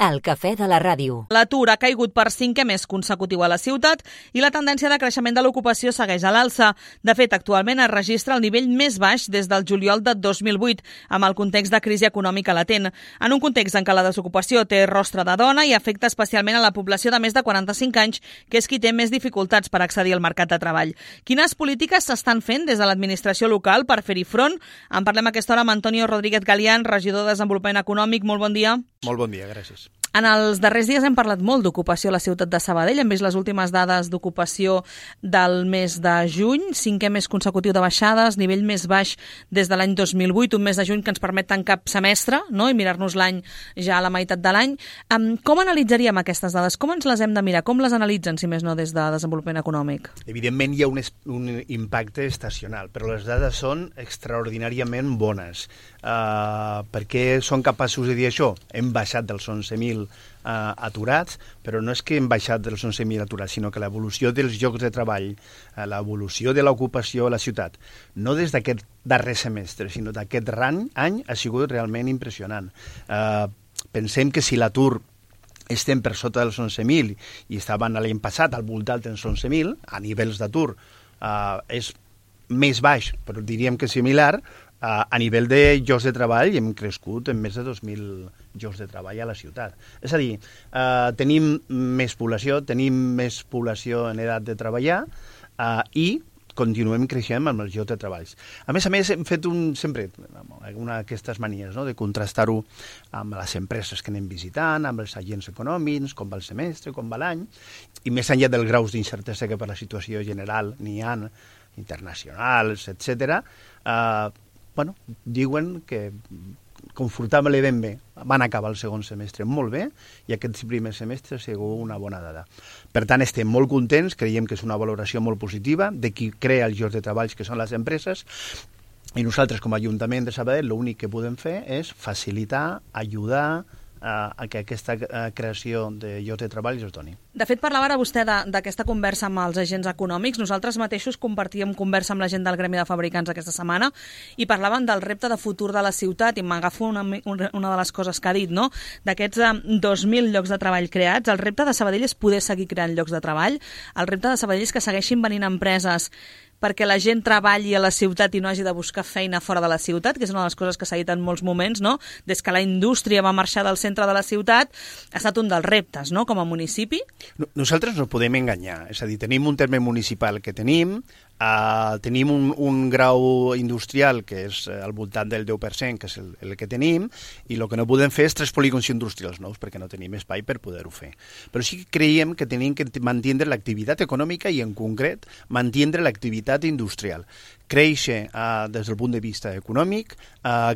El cafè de la ràdio. L'atur ha caigut per 5è mes consecutiu a la ciutat i la tendència de creixement de l'ocupació segueix a l'alça. De fet, actualment es registra el nivell més baix des del juliol de 2008, amb el context de crisi econòmica latent. En un context en què la desocupació té rostre de dona i afecta especialment a la població de més de 45 anys, que és qui té més dificultats per accedir al mercat de treball. Quines polítiques s'estan fent des de l'administració local per fer-hi front? En parlem a aquesta hora amb Antonio Rodríguez Galián, regidor de Desenvolupament Econòmic. Molt bon dia. Molt bon dia, gràcies. En els darrers dies hem parlat molt d'ocupació a la ciutat de Sabadell. Hem vist les últimes dades d'ocupació del mes de juny, 5è mes consecutiu de baixades, nivell més baix des de l'any 2008, un mes de juny que ens permet tancar semestre, no?, i mirar-nos l'any ja a la meitat de l'any. Com analitzaríem aquestes dades? Com ens les hem de mirar? Com les analitzen, si més no, des de Desenvolupament Econòmic? Evidentment hi ha un impacte estacional, però les dades són extraordinàriament bones. Per què són capaços de dir això? Hem baixat dels 11.000 aturats, però no és que hem baixat dels 11.000 aturats, sinó que l'evolució dels llocs de treball, l'evolució de l'ocupació a la ciutat, no des d'aquest darrer semestre, sinó d'aquest any, ha sigut realment impressionant. Pensem que si l'atur estem per sota dels 11.000 i estaven l'any passat al voltant dels 11.000, a nivells d'atur és més baix, però diríem que similar. A nivell de llocs de treball hem crescut en més de 2.000 llocs de treball a la ciutat. És a dir, tenim més població en edat de treballar i continuem creixent amb els llocs de treball. A més, hem fet sempre una d'aquestes manies, no?, de contrastar-ho amb les empreses que anem visitant, amb els agents econòmics, com va el semestre, com va l'any, i més enllà dels graus d'incertesa que per la situació general n'hi ha, internacionals, etc., diuen que confortablement bé. Van acabar el segon semestre molt bé i aquest primer semestre ha sigut una bona dada. Per tant, estem molt contents, creiem que és una valoració molt positiva de qui crea els llocs de treball, que són les empreses, i nosaltres com a Ajuntament de Sabadell l'únic que podem fer és facilitar, ajudar a que aquesta creació de llocs de treball es doni. De fet, parlava ara vostè d'aquesta conversa amb els agents econòmics. Nosaltres mateixos compartíem conversa amb la gent del Gremi de Fabricants aquesta setmana i parlaven del repte de futur de la ciutat i m'agafo una de les coses que ha dit, no? D'aquests 2.000 llocs de treball creats, el repte de Sabadell és poder seguir creant llocs de treball, el repte de Sabadell és que segueixin venint empreses perquè la gent treballi a la ciutat i no hagi de buscar feina fora de la ciutat, que és una de les coses que s'ha dit en molts moments, no? Des que la indústria va marxar del centre de la ciutat, ha estat un dels reptes, no?, com a municipi. Nosaltres no podem enganyar, és a dir, tenim un terme municipal que tenim un grau industrial que és al voltant del 10%, que és el que tenim, i el que no podem fer és 3 polígons industrials nous, perquè no tenim espai per poder-ho fer. Però sí que creiem que tenim que mantenir l'activitat econòmica i, en concret, mantenir l'activitat industrial. Créixer des del punt de vista econòmic,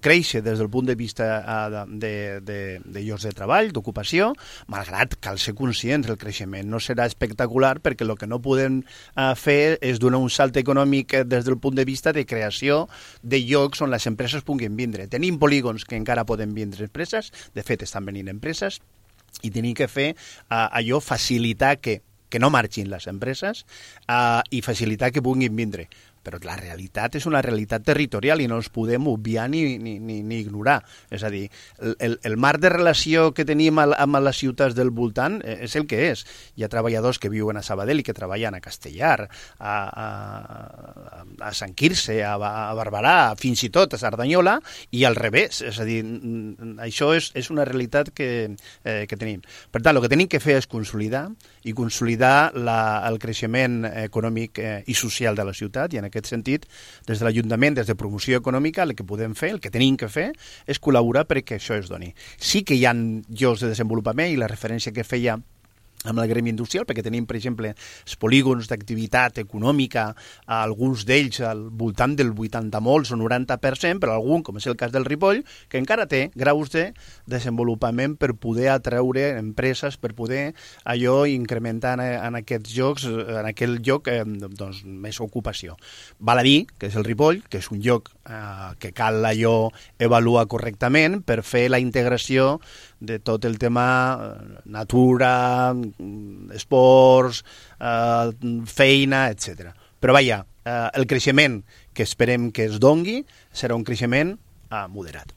créixer des del punt de vista de llocs de treball, d'ocupació, malgrat cal ser conscients del creixement. No serà espectacular perquè el que no podem fer és donar un salt econòmic des del punt de vista de creació de llocs on les empreses puguin vindre. Tenim polígons que encara poden vindre empreses, de fet estan venint empreses, i tenim que fer allò, facilitar que no marxin les empreses i facilitar que puguin vindre. Però la realitat és una realitat territorial i no els podem obviar ni ignorar. És a dir, el marc de relació que tenim amb les ciutats del voltant és el que és. Hi ha treballadors que viuen a Sabadell i que treballen a Castellar, a Sant Quirze, a Barberà, fins i tot a Cerdanyola, i al revés. És a dir, això és una realitat que tenim. Per tant, el que tenim que fer és consolidar el creixement econòmic i social de la ciutat, i en aquest sentit, des de l'Ajuntament, des de promoció econòmica, el que podem fer, el que tenim que fer, és col·laborar perquè això es doni. Sí que hi ha llocs de desenvolupament, i la referència que feia amb el gremi industrial, perquè tenim, per exemple, els polígons d'activitat econòmica, alguns d'ells al voltant del 80 molts o 90%, però algun, com és el cas del Ripoll, que encara té graus de desenvolupament per poder atreure empreses, per poder allò incrementar en aquests llocs, en aquell lloc, doncs, més ocupació. Val a dir que és el Ripoll, que és un lloc que cal allò avaluar correctament per fer la integració de tot el tema natura, esports, feina, etc. Però vaja, el creixement que esperem que es dongui serà un creixement moderat.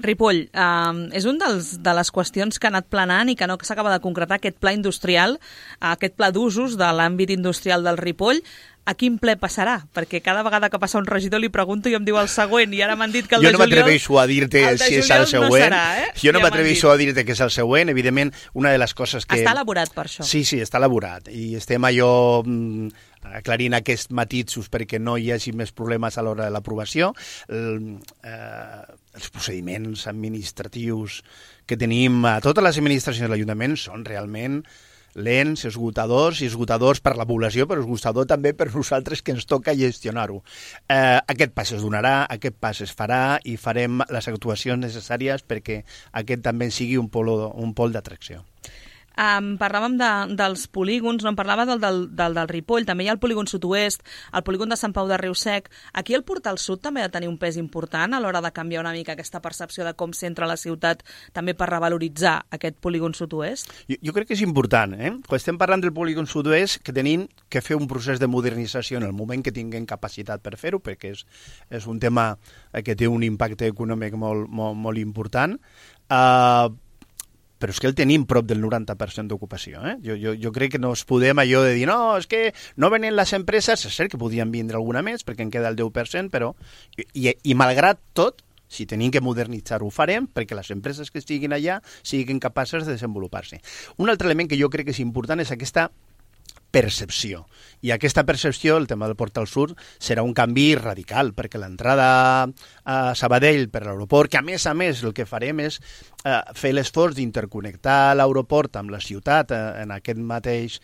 Ripoll, és un de les qüestions que ha anat planant i que no s'acaba de concretar, aquest pla industrial, aquest pla d'usos de l'àmbit industrial del Ripoll. A quin ple passarà? Perquè cada vegada que passa un regidor li pregunto i em diu el següent, i ara m'han dit que el de juliol... Jo no m'atreveixo a dir-te si és el següent. No serà, Jo no m'atreveixo a dir-te que és el següent. Evidentment, una de les coses que... Està elaborat per això. Sí, està elaborat. I estem allò aclarint aquests matisos perquè no hi hagi més problemes a l'hora de l'aprovació. Els procediments administratius que tenim a totes les administracions de l'Ajuntament són realment lents, esgotadors per la població, però esgotador també per nosaltres que ens toca gestionar-ho. Aquest pas es donarà, aquest pas es farà i farem les actuacions necessàries perquè aquest també sigui un pol d'atracció. Parlàvem dels polígons, no? Em parlava del Ripoll, també hi ha el polígon sud-oest, el polígon de Sant Pau de Riusec. Aquí el Portal Sud també ha de tenir un pes important a l'hora de canviar una mica aquesta percepció de com s'entra a la ciutat, també per revaloritzar aquest polígon sud-oest? Jo crec que és important, Quan estem parlant del polígon sud-oest, que tenim que fer un procés de modernització en el moment que tinguem capacitat per fer-ho, perquè és un tema que té un impacte econòmic molt important, però és que el tenim prop del 90% d'ocupació. Jo crec que no es podem allò de dir no, és que no venen les empreses, és cert que podien vindre alguna més perquè en queda el 10%, però i malgrat tot, si tenim que modernitzar-ho, ho farem perquè les empreses que estiguin allà siguin capaces de desenvolupar-se. Un altre element que jo crec que és important és aquesta percepció. I aquesta percepció, el tema del Portal Sud, serà un canvi radical, perquè l'entrada a Sabadell per l'aeroport, que a més el que farem és fer l'esforç d'interconnectar l'aeroport amb la ciutat en aquest mateix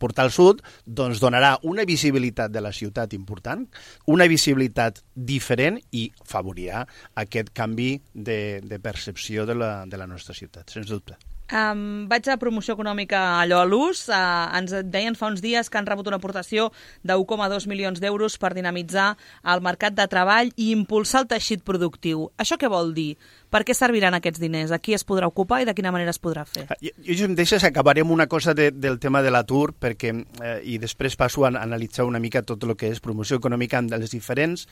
Portal Sud, doncs donarà una visibilitat de la ciutat important, una visibilitat diferent i favorirà aquest canvi de percepció de la nostra ciutat, sens dubte. Vaig a promoció econòmica allò a l'ús. Ens deien fa uns dies que han rebut una aportació de 1,2 milions d'euros per dinamitzar el mercat de treball i impulsar el teixit productiu. Això què vol dir? Per què serviran aquests diners? A qui es podrà ocupar i de quina manera es podrà fer? Jo em deixes, acabarem una cosa del tema de l'atur perquè i després passo a analitzar una mica tot el que és promoció econòmica en les diferents,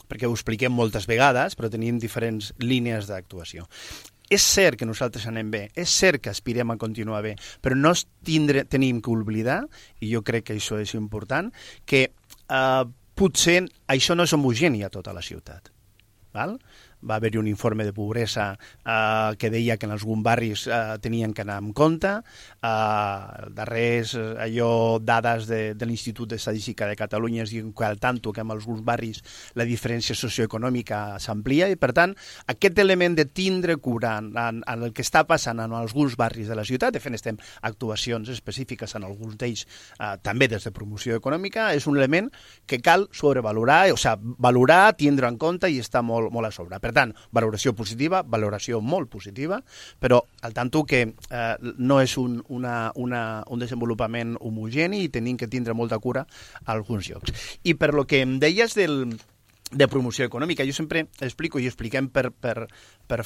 perquè ho expliquem moltes vegades, però tenim diferents línies d'actuació. És cert que nosaltres anem bé, és cert que aspirem a continuar bé, però no tenim que oblidar, i jo crec que això és important, que potser això no és homogeni a tota la ciutat. Val? Va haver-hi un informe de pobresa que deia que en alguns barris tenien que anar amb compte. Darrers dades de l'Institut d'Estadística de Catalunya es diuen que al tanto que en alguns barris la diferència socioeconòmica s'amplia i, per tant, aquest element de tindre cura en el que està passant en alguns barris de la ciutat, de fet estem actuacions específiques en alguns d'ells també des de promoció econòmica, és un element que cal sobrevalorar, o sigui, valorar, tindre en compte i estar molt a sobre. Per tant, valoració positiva, valoració molt positiva, però al tanto que no és un desenvolupament homogeni i tenim que tindre molta cura a alguns llocs. I per lo que em deies de promoció econòmica, jo sempre explico i expliquem per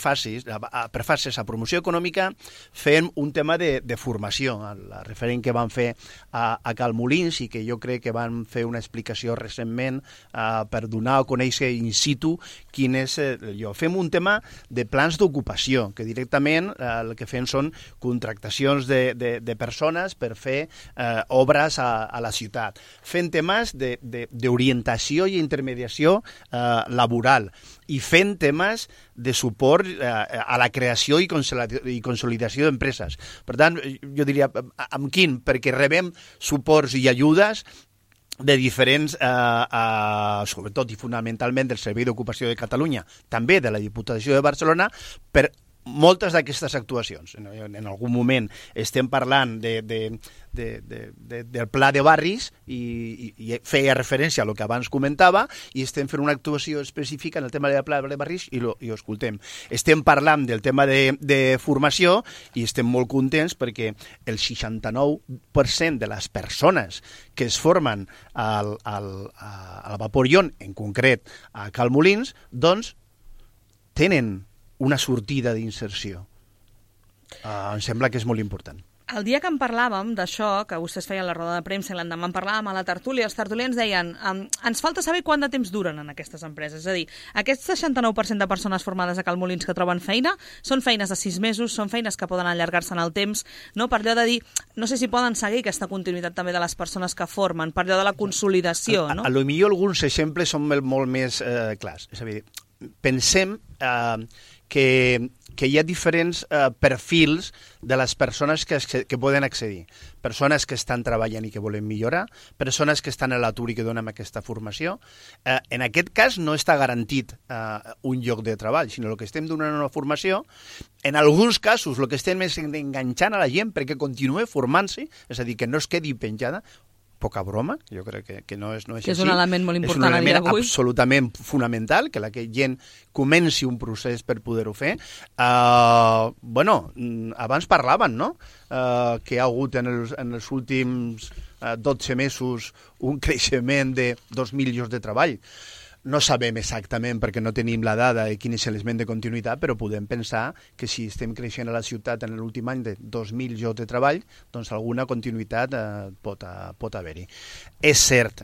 fases a promoció econòmica fem un tema de formació. El referent que van fer a Cal Molins i que jo crec que van fer una explicació recentment per donar a conèixer in situ quin és allò. Fem un tema de plans d'ocupació, que directament el que fem són contractacions de persones per fer obres a la ciutat. Fem temes d'orientació i intermediació laboral i fent temes de suport a la creació i consolidació d'empreses. Per tant, jo diria, amb quin? Perquè rebem suports i ajudes de diferents, sobretot i fonamentalment del Servei d'Ocupació de Catalunya, també de la Diputació de Barcelona, per moltes d'aquestes actuacions. En algun moment estem parlant del pla de barris i feia referència a el que abans comentava i estem fent una actuació específica en el tema del pla de barris i ho escoltem. Estem parlant del tema de formació i estem molt contents perquè el 69% de les persones que es formen al Vapor Ion, en concret a Cal Molins, doncs tenen una sortida d'inserció. Em sembla que és molt important. El dia que en parlàvem d'això, que vostès feien la roda de premsa i l'endemà en parlàvem a la tertúlia, els tertulians deien ens falta saber quant de temps duren en aquestes empreses. És a dir, aquest 69% de persones formades a Cal Molins que troben feina són feines de 6 mesos, són feines que poden allargar-se en el temps, no? Per allò de dir, no sé si poden seguir aquesta continuïtat també de les persones que formen, per allò de la consolidació, no? A lo millor alguns exemples són molt més clars. És a dir, pensem que hi ha diferents perfils de les persones que poden accedir. Persones que estan treballant i que volen millorar, persones que estan a l'atur i que donen aquesta formació. En aquest cas no està garantit un lloc de treball, sinó que estem donant una formació. En alguns casos el que estem és enganxant a la gent perquè continue formant-se, és a dir, que no es quedi penjada. Poca broma, jo crec que no és així. Que és un element molt important a dia d'avui. És un element absolutament fonamental, que la gent comenci un procés per poder-ho fer. Abans parlaven, no?, que hi ha hagut en els últims 12 mesos un creixement de 2.000 llocs de treball. No sabem exactament, perquè no tenim la dada de quin és l'element de continuïtat, però podem pensar que si estem creixent a la ciutat en l'últim any de 2.000 llocs de treball, doncs alguna continuïtat pot haver-hi. És cert,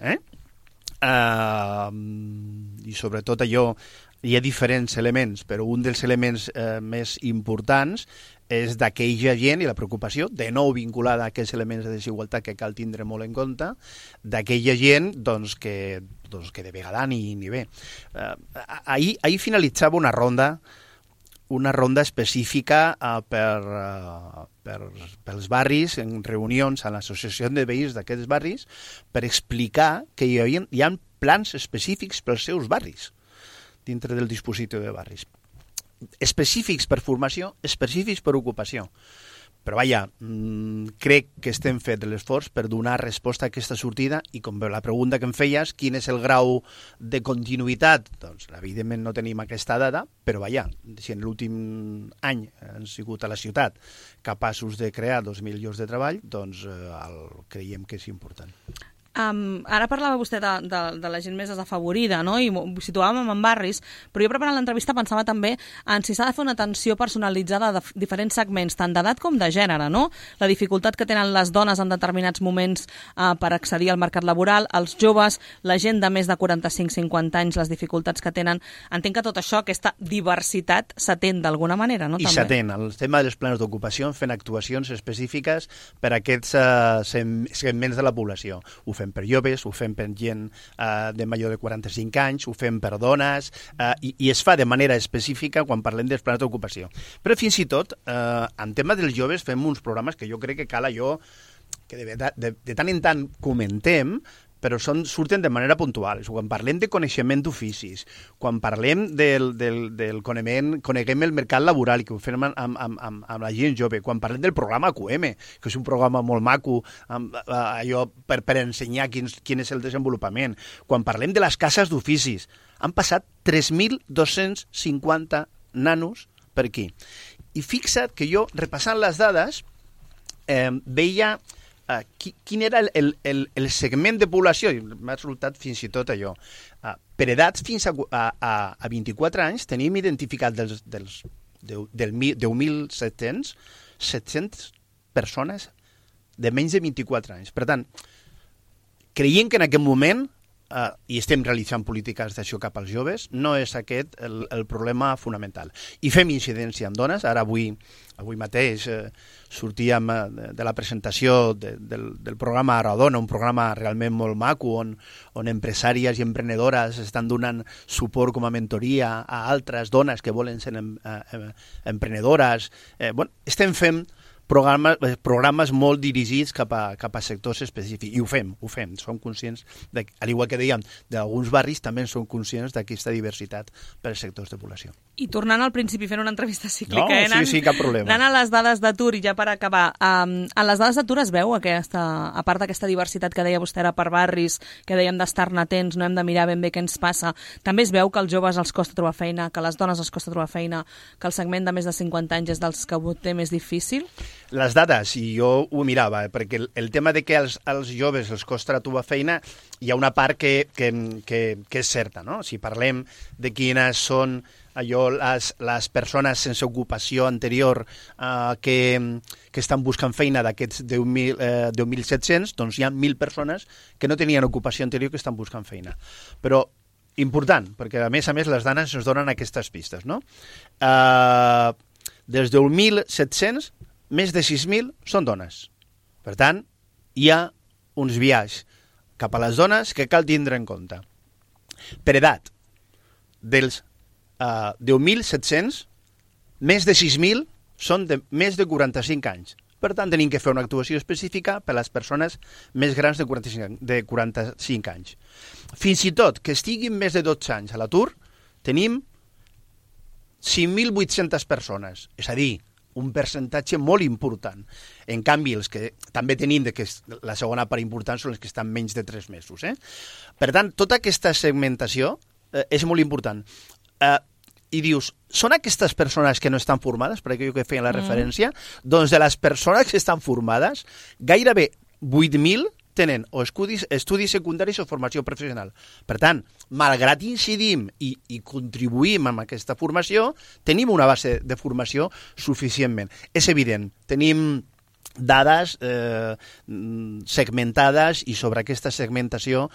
i sobretot allò, hi ha diferents elements, però un dels elements més importants és d'aquella gent i la preocupació, de nou vinculada a aquests elements de desigualtat que cal tindre molt en compte, d'aquella gent que de vegada ni ve. Ahir finalitzava una ronda específica pels barris, en reunions a l'associació de veïns d'aquests barris, per explicar que hi ha plans específics pels seus barris, dintre del dispositiu de barris. Específics per formació, específics per ocupació. Però vaja, crec que estem fent l'esforç per donar resposta a aquesta sortida i com la pregunta que em feies, quin és el grau de continuïtat? Doncs evidentment no tenim aquesta dada, però vaja, si en l'últim any han sigut a la ciutat capaços de crear 2.000 llocs de treball, doncs creiem que és important. Ara parlava vostè de la gent més desafavorida, no? I ho situàvem en barris, però jo preparant l'entrevista pensava també en si s'ha de fer una atenció personalitzada de diferents segments, tant d'edat com de gènere, no? La dificultat que tenen les dones en determinats moments per accedir al mercat laboral, els joves, la gent de més de 45-50 anys, les dificultats que tenen. Entenc que tot això, aquesta diversitat, s'atén d'alguna manera, no? I s'atén. El tema dels plans d'ocupació, fent actuacions específiques per a aquests segments de la població. Ho fem per joves, ho fem per gent de major de 45 anys, ho fem per dones, i es fa de manera específica quan parlem dels plans d'ocupació. Però fins i tot, en tema dels joves, fem uns programes que jo crec que cal allò que de tant en tant comentem, però surten de manera puntual. Quan parlem de coneixement d'oficis, quan parlem coneguem el mercat laboral i que ho fem amb la gent jove, quan parlem del programa QM, que és un programa molt maco, allò per ensenyar quin és el desenvolupament, quan parlem de les cases d'oficis, han passat 3.250 nanos per aquí. I fixa't que jo, repassant les dades, veia quin era el segment de població, i m'ha resultat fins i tot allò. Per edats fins a 24 anys tenim identificat dels 10.700 persones de menys de 24 anys. Per tant, creiem que en aquest moment, i estem realitzant polítiques d'això cap als joves, no és aquest el problema fonamental. I fem incidència en dones. Ara avui mateix sortíem de la presentació del programa Aradona, un programa realment molt maco on empresàries i emprenedores estan donant suport com a mentoria a altres dones que volen ser emprenedores. Estem fent programes molt dirigits cap a sectors específics, i ho fem. Som conscients, al igual que dèiem, d'alguns barris també som conscients d'aquesta diversitat per sectors de població. I tornant al principi, fent una entrevista cíclica, sí, cap problema. Anant a les dades d'atur, i ja per acabar, en les dades d'atur es veu a part d'aquesta diversitat que deia vostè ara per barris, que dèiem d'estar-ne atents, no hem de mirar ben bé què ens passa, també es veu que als joves els costa trobar feina, que a les dones els costa trobar feina, que el segment de més de 50 anys és dels que ho té més difícil? Les dades, i jo ho mirava, perquè el tema de que als joves els costa trobar feina, hi ha una part que és certa, no? Si parlem de quines són allò, les persones sense ocupació anterior que estan buscant feina d'aquests 10.700, doncs hi ha 1.000 persones que no tenien ocupació anterior que estan buscant feina. Però important, perquè a més les dades ens donen aquestes pistes, no? Dels 10.700, més de 6.000 són dones. Per tant, hi ha uns biaix cap a les dones que cal tindre en compte. Per edat, dels 10.700, més de 6.000 són de més de 45 anys. Per tant, tenim que fer una actuació específica per a les persones més grans de 45 anys. Fins i tot que estiguin més de 12 anys a l'atur, tenim 5.800 persones, és a dir, un percentatge molt important. En canvi, els que també tenim que la segona part important són els que estan menys de 3 mesos. Per tant, tota aquesta segmentació és molt important. I dius, són aquestes persones que no estan formades, per aquello que feien la referència? Doncs de les persones que estan formades, gairebé 8.000 tenen o estudis secundaris o formació professional. Per tant, malgrat incidim i contribuïm amb aquesta formació, tenim una base de formació suficientment. És evident, tenim dades segmentades i sobre aquesta segmentació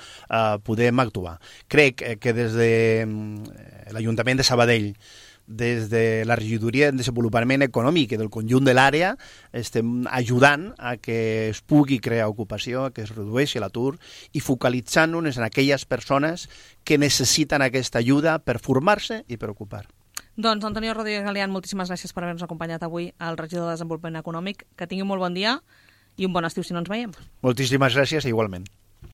podem actuar. Crec que des de l'Ajuntament de Sabadell, des de la regidoria de desenvolupament econòmic i del conjunt de l'àrea, estem ajudant a que es pugui crear ocupació, a que es redueixi l'atur i focalitzant-nos en aquelles persones que necessiten aquesta ajuda per formar-se i per ocupar. Doncs, Antonio Rodríguez Galeán, moltíssimes gràcies per haver-nos acompanyat avui al regidor de Desenvolupament Econòmic. Que tingui un molt bon dia i un bon estiu si no ens veiem. Moltíssimes gràcies, igualment.